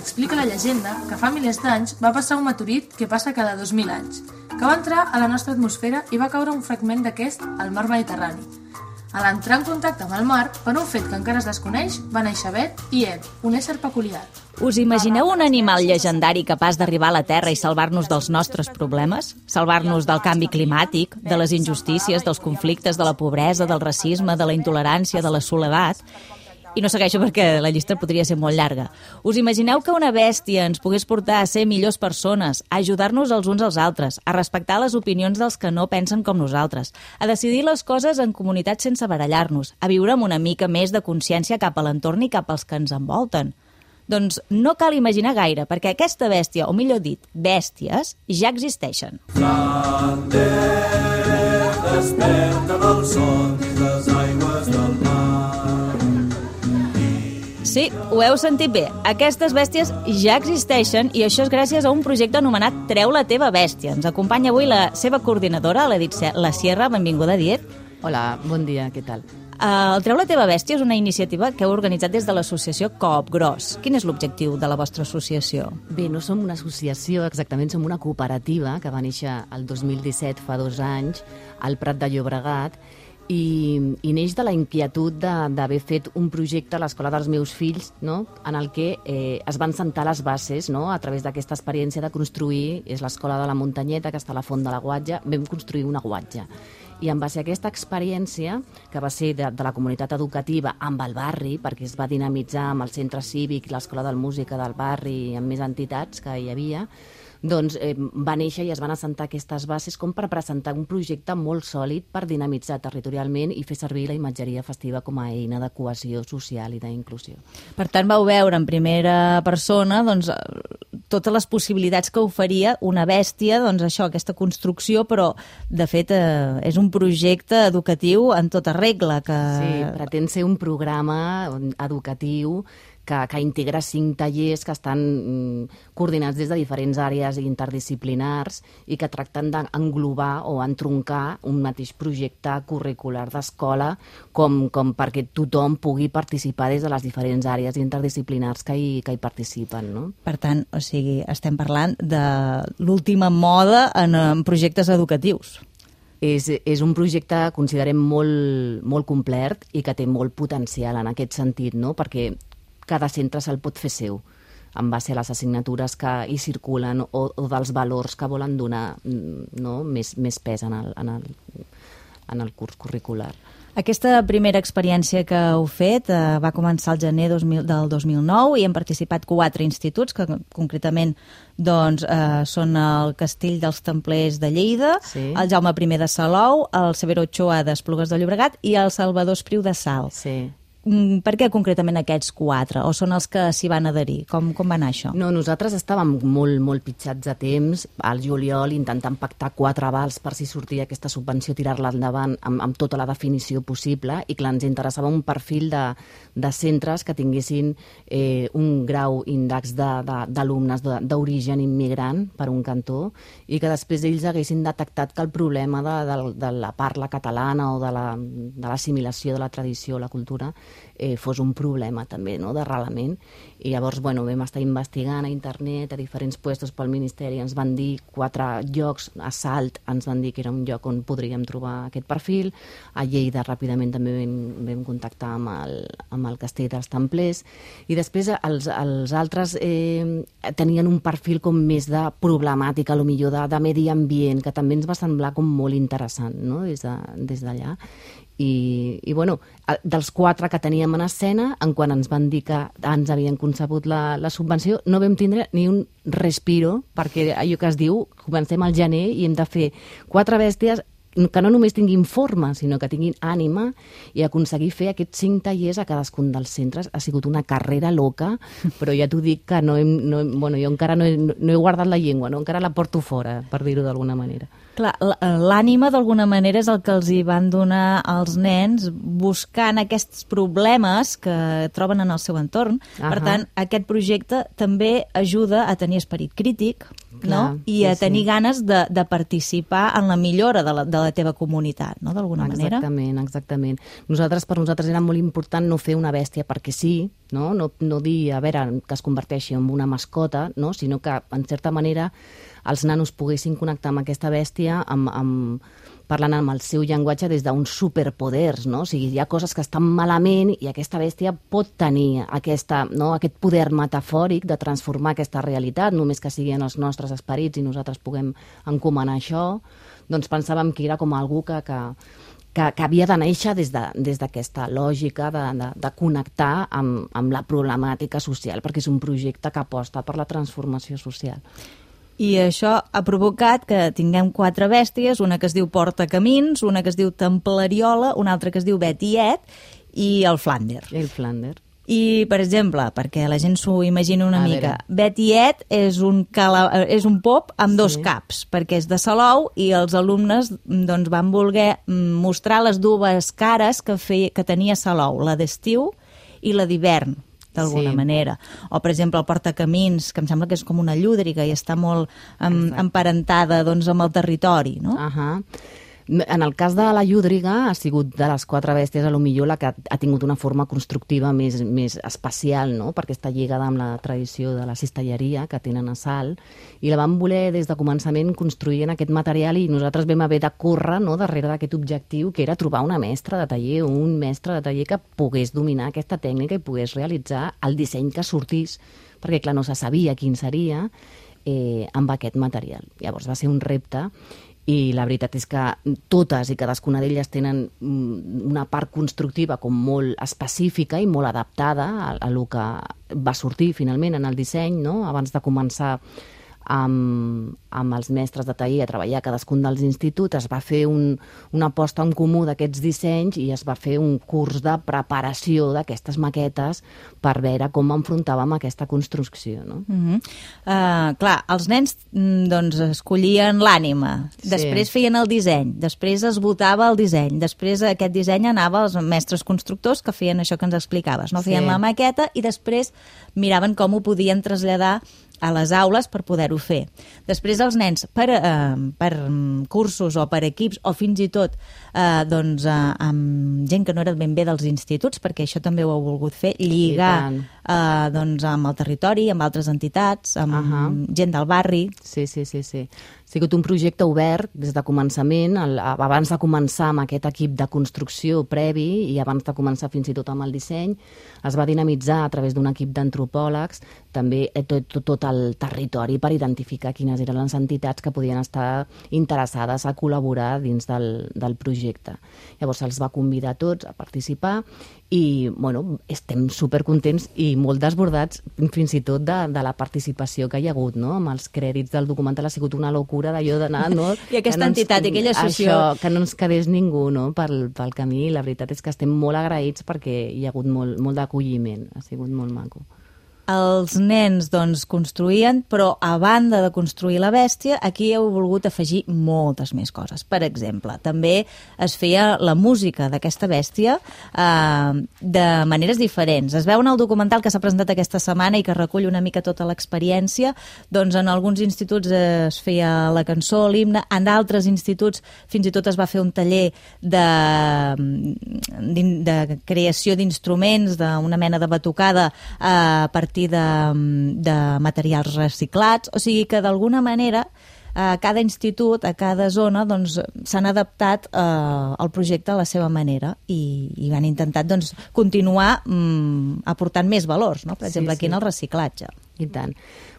explica la llegenda que fa milers d'anys va passar un meteorit que passa cada 2.000 anys, que va entrar a la nostra atmosfera i va caure un fragment d'aquest al mar Mediterrani. A l'entrar en contacte amb el mar, per un fet que encara es desconeix, va néixer Bet i Ed, un ésser peculiar. Us imagineu un animal llegendari capaç d'arribar a la Terra i salvar-nos dels nostres problemes? Salvar-nos del canvi climàtic, de les injustícies, dels conflictes, de la pobresa, del racisme, de la intolerància, de la soledat? I no segueixo perquè la llista podria ser molt llarga. Us imagineu que una bèstia ens pogués portar a ser millors persones, a ajudar-nos els uns als altres, a respectar les opinions dels que no pensen com nosaltres, a decidir les coses en comunitat sense barallar-nos, a viure amb una mica més de consciència cap a l'entorn i cap als que ens envolten? Doncs no cal imaginar gaire, perquè aquesta bèstia, o millor dit, bèsties, ja existeixen. Flander, desperta del son les aigües del mar. Sí, ho heu sentit bé. Aquestes bèsties ja existeixen i això és gràcies a un projecte anomenat Treu la teva bèstia. Ens acompanya avui la seva coordinadora, la Sierra. Benvinguda, Diet. Hola, bon dia, què tal? El Treu la teva bèstia és una iniciativa que heu organitzat des de l'associació Coop Gros. Quin és l'objectiu de la vostra associació? Bé, no som una associació, exactament, som una cooperativa que va néixer el 2017, fa 2 anys, al Prat de Llobregat, i neix de la inquietud d'haver fet un projecte a l'escola dels meus fills, no?, en el que es van sentar les bases, no?, a través d'aquesta experiència de construir, és l'escola de la Muntanyeta, que està a la Font de la Guatja, vam construir una guatja. I en base a aquesta experiència, que va ser de la comunitat educativa amb el barri, perquè es va dinamitzar amb el centre cívic, l'escola de música del barri i amb més entitats que hi havia, doncs va néixer i es van assentar aquestes bases com per presentar un projecte molt sòlid per dinamitzar territorialment i fer servir la imatgeria festiva com a eina de cohesió social i d'inclusió. Per tant, vau veure en primera persona doncs, totes les possibilitats que oferia una bèstia, doncs això, aquesta construcció, però de fet és un projecte educatiu en tota regla. Sí, pretén ser un programa educatiu que integra 5 tallers que estan coordinats des de diferents àrees interdisciplinars i que tracten d'englobar o entroncar un mateix projecte curricular d'escola com perquè tothom pugui participar des de les diferents àrees interdisciplinars que hi participen, no? Per tant, o sigui, estem parlant de l'última moda en projectes educatius. És un projecte, considerem, molt complet i que té molt potencial en aquest sentit, no?, perquè cada centre se'l pot fer seu, en base a les assignatures que hi circulen o dels valors que volen donar, no?, més pes en el curs curricular. Aquesta primera experiència que heu fet va començar al gener del 2009 i han participat 4 instituts, que concretament doncs, són el Castell dels Templers de Lleida, sí, el Jaume I de Salou, el Severo Ochoa d'Esplugues de Llobregat i el Salvador Espriu de Salt. Sí. Per què concretament aquests 4? O són els que s'hi van adherir? Com va anar això? No, nosaltres estàvem molt pitjats de temps, al juliol, intentant pactar 4 avals per si sortia aquesta subvenció, tirar-la endavant amb tota la definició possible, i clar, ens interessava un perfil de centres que tinguessin un grau índex d'alumnes d'origen immigrant, per un cantó, i que després ells haguessin detectat que el problema de la parla catalana o de l'assimilació de la tradició, la cultura, fos un problema també, no?, d'arrelament. I llavors, bueno, vam estar investigant a internet, a diferents puestos pel Ministeri, ens van dir 4 llocs, a Salt ens van dir que era un lloc on podríem trobar aquest perfil, a Lleida ràpidament també vam contactar amb el Castell dels Templers, i després els altres tenien un perfil com més de problemàtica, potser de medi ambient, que també ens va semblar com molt interessant, no?, des d'allà. I bueno, dels 4 que teníem en escena, en quan ens van dir que ens havien concebut la subvenció, no vam tindre ni un respiro, perquè allò que es diu, comencem al gener i hem de fer 4 bèsties que no només tinguin forma, sinó que tinguin ànima, i aconseguir fer aquests 5 tallers a cadascun dels centres ha sigut una carrera loca, però ja t'ho dic que jo encara no he guardat la llengua, no? Encara la porto fora, per dir-ho d'alguna manera. Clar, l'ànima d'alguna manera és el que els hi van donar als nens buscant aquests problemes que troben en el seu entorn. Per tant, aquest projecte també ajuda a tenir esperit crític, no? I a tenir ganes de participar en la millora de la teva comunitat, no? D'alguna manera. Exactament. Per nosaltres era molt important no fer una bèstia perquè sí, no dir, a veure, que es converteixi en una mascota, no? Sinó que, en certa manera, els nanos poguessin connectar amb aquesta bèstia parlant amb el seu llenguatge des d'uns superpoders, no? O sigui, hi ha coses que estan malament i aquesta bèstia pot tenir aquest poder metafòric de transformar aquesta realitat, només que siguin els nostres esperits i nosaltres puguem encomanar això. Doncs pensàvem que era com algú que havia de néixer des d'aquesta lògica de connectar amb la problemàtica social, perquè és un projecte que aposta per la transformació social. I això ha provocat que tinguem 4 bèsties, una que es diu Portacamins, una que es diu Templariola, una altra que es diu Betiet i el Flander. I, per exemple, perquè la gent s'ho imagini una mica, Betiet és un pop amb 2 caps, perquè és de Salou i els alumnes van voler mostrar les dues cares que tenia Salou, la d'estiu i la d'hivern, d'alguna manera. O, per exemple, el Portacamins, que em sembla que és com una llúdriga i està molt emparentada amb el territori, no? En el cas de la llúdriga ha sigut de les 4 bèsties a lo millor la que ha tingut una forma constructiva més especial, no? Perquè està lligada amb la tradició de la cistelleria que tenen a Salt i la vam voler des de començament construir en aquest material i nosaltres vam haver de córrer darrere d'aquest objectiu que era trobar una mestra de taller o un mestre de taller que pogués dominar aquesta tècnica i pogués realitzar el disseny que sortís, perquè clar, no se sabia quin seria amb aquest material. Llavors va ser un repte i la veritat és que totes i cadascuna d'elles tenen una part constructiva com molt específica i molt adaptada a lo que va sortir finalment en el disseny, no? Abans de començar amb els mestres de taller a treballar a cadascun dels instituts, es va fer una aposta en comú d'aquests dissenys i es va fer un curs de preparació d'aquestes maquetes per veure com enfrontàvem aquesta construcció, no? Clar, els nens escollien l'ànima, després feien el disseny, després es votava el disseny, després aquest disseny anava als mestres constructors que feien això que ens explicaves, no? Feien la maqueta i després miraven com ho podien traslladar a les aules per poder-ho fer. Després els nens, per cursos o per equips, o fins i tot amb gent que no era ben bé dels instituts, perquè això també ho heu volgut fer, lligar amb el territori, amb altres entitats, amb gent del barri. Sí. Ha sigut un projecte obert des de començament, abans de començar amb aquest equip de construcció previ i abans de començar fins i tot amb el disseny, es va dinamitzar a través d'un equip d'antropòlegs també tot el territori per identificar quines eren les entitats que podien estar interessades a col·laborar dins del projecte. Llavors se'ls va convidar a tots a participar i estem supercontents i molt desbordats fins i tot de la participació que hi ha hagut, no? Amb els crèdits del documental ha sigut una locura d'allò d'anar, no? I aquesta entitat, aquella associació... Això, que no ens quedés ningú, no? Pel camí. La veritat és que estem molt agraïts perquè hi ha hagut molt d'acolliment. Ha sigut molt maco. Els nens, construïen, però a banda de construir la bèstia, aquí heu volgut afegir moltes més coses. Per exemple, també es feia la música d'aquesta bèstia de maneres diferents. Es veu en el documental que s'ha presentat aquesta setmana i que recull una mica tota l'experiència. Doncs en alguns instituts es feia la cançó, l'himne, en d'altres instituts fins i tot es va fer un taller de creació d'instruments, d'una mena de batucada a partir de materials reciclats, o sigui que d'alguna manera a cada institut, a cada zona s'han adaptat al projecte a la seva manera i han intentat continuar aportant més valors, no? Per exemple, aquí en el reciclatge. I tant.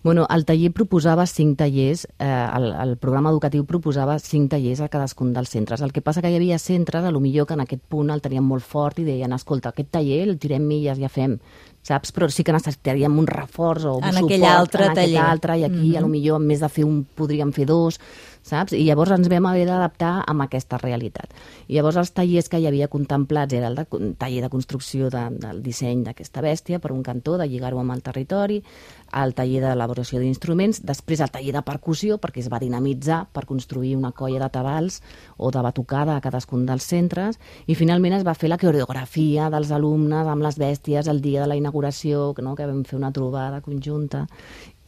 El taller proposava 5 tallers, el programa educatiu proposava 5 tallers a cadascun dels centres. El que passa que hi havia centres, potser que en aquest punt el tenien molt fort i deien, escolta, aquest taller el tirem milles i ja fem, saps? Però sí que necessitaríem un reforç o un suport aquell altre taller. I aquí potser en més de fer un podríem fer 2, saps? I llavors ens vam haver d'adaptar amb aquesta realitat. I llavors els tallers que hi havia contemplats era el taller de construcció del disseny d'aquesta bèstia, per un cantó, de lligar-ho amb el territori, el taller d'elaboració d'instruments, després el taller de percussió, perquè es va dinamitzar per construir una colla de tabals o de batucada a cadascun dels centres, i finalment es va fer la coreografia dels alumnes amb les bèsties el dia de la inauguració, no? Que vam fer una trobada conjunta,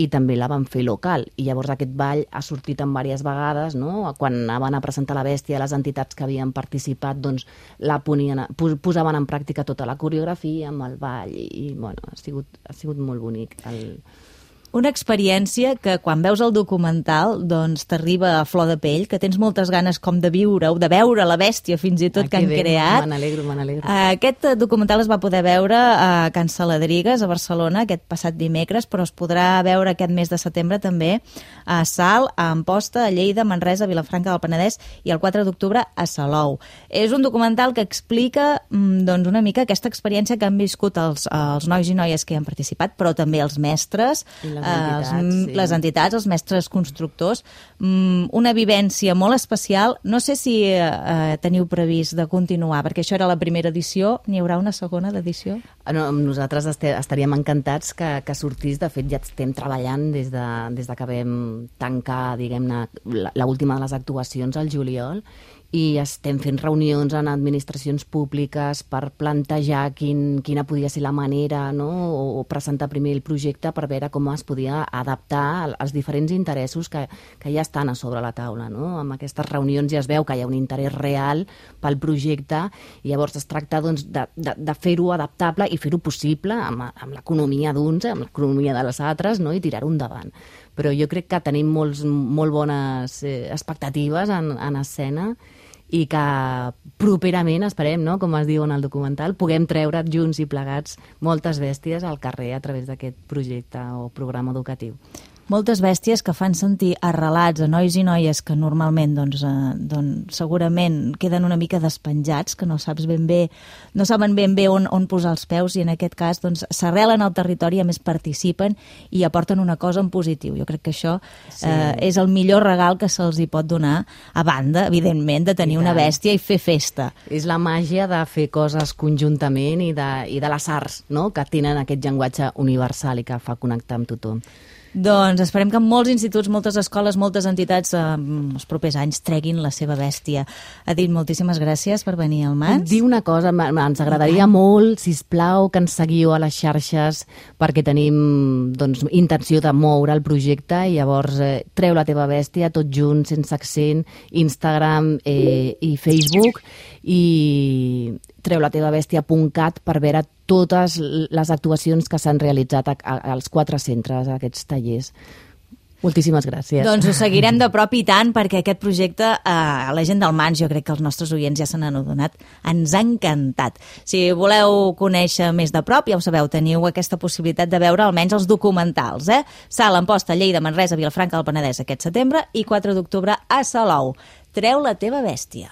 i també la van fer local. I llavors aquest ball ha sortit en diverses vegades, no? Quan anaven a presentar la bèstia, les entitats que havien participat doncs posaven en pràctica tota la coreografia amb el ball, i bueno, ha sigut molt bonic. Una experiència que quan veus el documental doncs t'arriba a flor de pell, que tens moltes ganes com de viure-ho, de veure la bèstia fins i tot que han creat. Me n'alegro. Aquest documental es va poder veure a Can Saladrigues, a Barcelona, aquest passat dimecres, però es podrà veure aquest mes de setembre també a Salt, a Amposta, a Lleida, Manresa, Vilafranca del Penedès i el 4 d'octubre a Salou. És un documental que explica doncs, una mica aquesta experiència que han viscut els nois i noies que hi han participat, però també els mestres, les entitats, els mestres constructors, una vivència molt especial. No sé si teniu previst de continuar, perquè això era la primera edició. N'hi haurà una segona edició? No, nosaltres estaríem encantats que sortís. De fet, ja estem treballant des de que vam tancar, diguem-ne, l'última de les actuacions al juliol, i estem fent reunions en administracions públiques per plantejar quina podia ser la manera, no? O presentar primer el projecte per veure com es podia adaptar als diferents interessos que ja estan a sobre la taula, no? Amb aquestes reunions ja es veu que hi ha un interès real pel projecte, i llavors es tracta doncs, de fer-ho adaptable i fer-ho possible amb l'economia d'uns, amb l'economia de les altres, no? I tirar-ho endavant. Però jo crec que tenim molt bones expectatives en escena, i que properament, esperem, no? Com es diu en el documental, puguem treure junts i plegats moltes bèsties al carrer a través d'aquest projecte o programa educatiu. Moltes bèsties que fan sentir arrelats a nois i noies que normalment doncs, segurament queden una mica despenjats, que no saben ben bé on posar els peus, i en aquest cas doncs, s'arrelen al territori, a més participen i aporten una cosa en positiu. Jo crec que això és el millor regal que se'ls hi pot donar, a banda, evidentment, de tenir una bèstia i fer festa. És la màgia de fer coses conjuntament i de les arts, no? Que tenen aquest llenguatge universal i que fa connectar amb tothom. Doncs esperem que molts instituts, moltes escoles, moltes entitats els propers anys treguin la seva bèstia. Edith, moltíssimes gràcies per venir al Mans. Puc dir una cosa? Ens agradaria molt, sisplau, que ens seguiu a les xarxes, perquè tenim doncs, intenció de moure el projecte, i llavors treu la teva bèstia, tot junt, sense accent, Instagram i Facebook, i treulatevabèstia.cat per veure totes les actuacions que s'han realitzat als 4 centres, a aquests tallers. Moltíssimes gràcies. Doncs ho seguirem de prop i tant, perquè aquest projecte, la gent del Mans, jo crec que els nostres oients ja se n'han adonat, ens ha encantat. Si voleu conèixer més de prop, ja ho sabeu, teniu aquesta possibilitat de veure almenys els documentals. Salt, Amposta, Lleida, Manresa, Vilafranca del Penedès aquest setembre, i 4 d'octubre a Salou. Treu la teva bèstia.